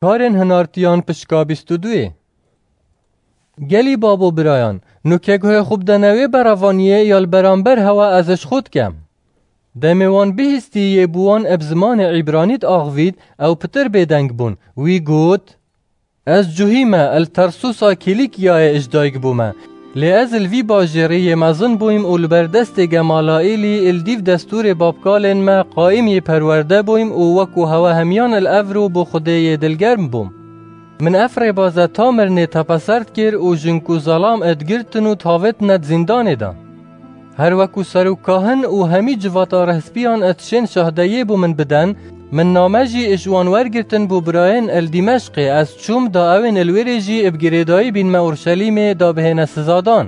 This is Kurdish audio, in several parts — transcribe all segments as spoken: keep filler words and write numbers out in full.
Karên hinartiyan pişka bîst û duyê. Gelî babo birayan, nûke guhê xwe bidene wê berevaniyê ya li beramber hewa ez ji xwe dikem. Demê wan bihîstî yê bi wan eb zimanê îbranî diaxivît, ew pitir bêdeng bûn. Wî got, Ez cuhî me, li Tersûsa Kîlîkiyayê ji dayik bûme. Lê ez li vî bajêrî yê mezin bûyim û li ber destê Gemalaîlî li dîv destûrê babkalên me qayîm yê perwerde bûyim û wekû hewe hemiyan li evro bo Xwedê yê dilgerm bûm. Min ev rêbaze ta mirinê tepeser dikir û jin ku zelam ê digirtin û dihavêtine di zîndanê de. Her wekû serokkahin û hemî civata rihspiyan ê tişên şahdeyê bo min biden, min name jî ji wan wergirtin bo birayên li Dîmeşqê ez çûm da ewên li wêrê jî bi girêdayî bînme Urşelîmê da bihêne sizadan.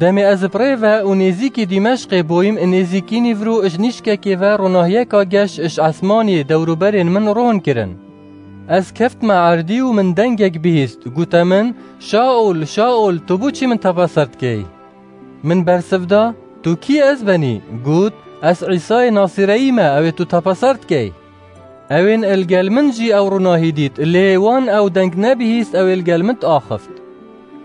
Demê ez bi rê ve û nêzîkî Dîmeşqê bûyim, nêzîkî nîvro ji nîşkekê ve ronahiyeka geş ji esmanî dewroberên min ron kirin. Ez keftme erdî û min dengek bihîst, gote min, Şaol, Şaol, tu bo çi min tepeser dikey? Min bersiv da, Tu kî ez benî? Got, Ez Îsayê Nasireyî me, ew ê tu tepeser dikey. Ewên li gel min jî ew ronahî dît, lê wan ew deng nebihîst, ew ê li gel min diaxift.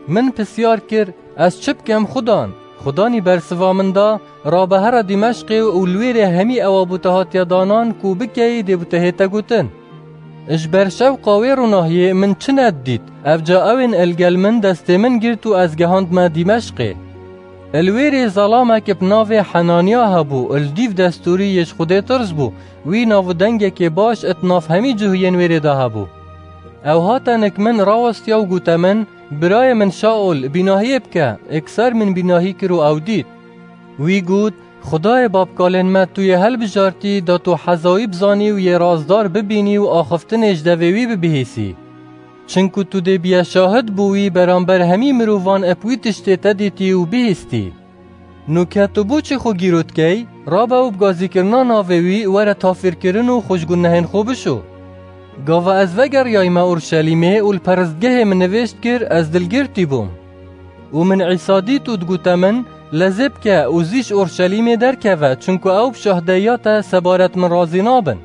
Min pisyar kir, Ez çi bikem Xudan? Xudanî bersiva min da, Rabe here Dîmeşqê û li wêrê hemî ewa bo te hatiye danan ku bikeyî dê bo te hête gotin. Ji ber şewqa wê ronahiyê min çi nedidît, evca ewên li gel min destê min girt û ez gehandme Dîmeşqê. Li wêrê zelamek bi navê Henaniya hebû, li dîv destûrî yê ji Xwedê tirs bû, wî nav û dengekê baş di nav hemî cihûyên wêrê de hebû. Ew hate nik min rawestiya û gote min, Birayê min Şaol, bînahiyê bike, êkser min bînahî kir û ew dît. Wî got, Xwedayê babkalên me tu yê hilbijartî da tu heza wî bizanî û yê razdar bibînî û axiftinê ji devê wî bibihîsî. Çinku tu dê biye şahid bo wî beramber hemî mirovan eb wî tiştê te dîtî û bihîstî. Nûke tu bo çi xwe gîro dikey? Rabe û bi gazîkirina navê wî were tafîrkirin û xwe ji gunehên xwe bişo. Gava ez vegeriyayme Urşelîmê û li peristgehê min nivêj dikir, ez dilgirtî bûm. Û min Îsa dît û digote min, Lezê bike û zî ji Urşelîmê derkeve, çinku ew bi şahdeyiya te sebaret min razî nabin.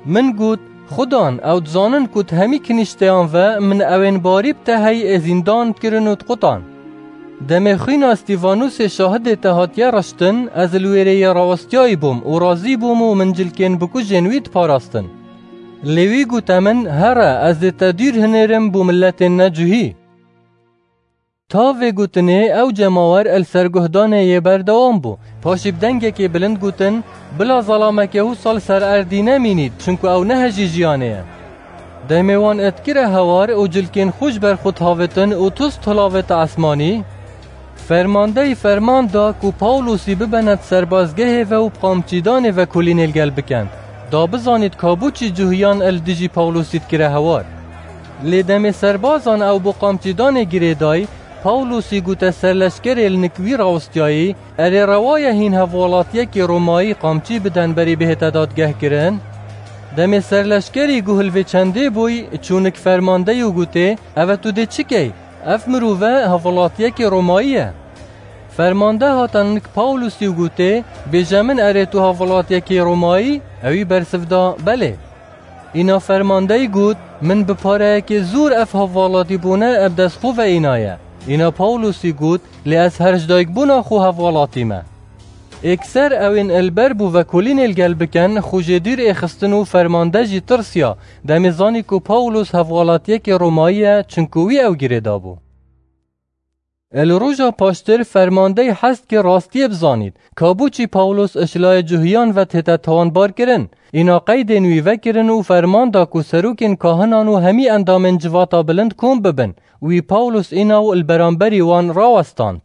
Min got, Xudan, ew dizanin ku di hemî kinîşteyan ve min ewên barî bi te hey ê zîndan dikirin û diqutan. Demê xwîna Stîfanûsê şahidê te hatiye reştin, ez li wêrê yê rawestiyayî bûm û razî bûm û min cilkên bikujên wî diparastin. Lê wî gote min, Here, ez dê te dûr hinêrim bo miletên necuhî. Ta vê gotinê ew cemawer li ser guhdanê yê berdewam bû. Paşî bi dengekê bilind gotin, Bila zelamekê wisa li ser erdî nemînît, çinku ew nehejî jiyanê ye. Demê wan etkire hewar û cilkên xwe ji ber xwe dihavêtin û tust hilavête esmanî, fermandeyî ferman da ku Pawlosî bibene di serbazgehê ve û bi qamçîdanê vekolînê li gel bikin, da bizanît ka bo çi cuhiyan li dijî Pawlosî dikire hewar. Lê demê serbazan ew bo qamçîdanê girêdayî, Pawlosî gote serleşkerê li nik wî rawestiyayî, Erê rewa ye hîn hevwelatiyekî Romayî qamçî biden berî bihête dadgehkirin? Demê serleşkerî guh li vê çendê bûy, çû nik fermandeyî û gotê, Eve tu dê çi key? Ev mirove hevwelatiyekî Romayî ye. Fermande hate nik Pawlosî û gotê, Bêje min erê tu hevwelatiyekî Romayî? Ewî bersiv da, Belê. Îna fermandeyî got, Min bi pareyekê zûr ev hevwelatîbûne eb dest xwe ve înaye. Îna Pawlosî got, Lê ez her ji dayikbûna xwe hevwelatî me. Êkser ewên li ber bû vekolînê li gel bikin, xwe jê dûr êxistin û fermande jî tirsiya, demê zanî ku Pawlos hevwelatiyekê Romayî ye, çinku wî ew girêdabû. Li roja paştir fermandeyî hez dikir rastiyê bizanît, ka bo çi Pawlos ji layê cuhiyan ve tête tawanbarkirin. Îna qeydên wî vekirin û ferman da ku serokên kahinan û hemî endamên civata bilind kom bibin. Wî Pawlos îna û li beramberî wan rawestand.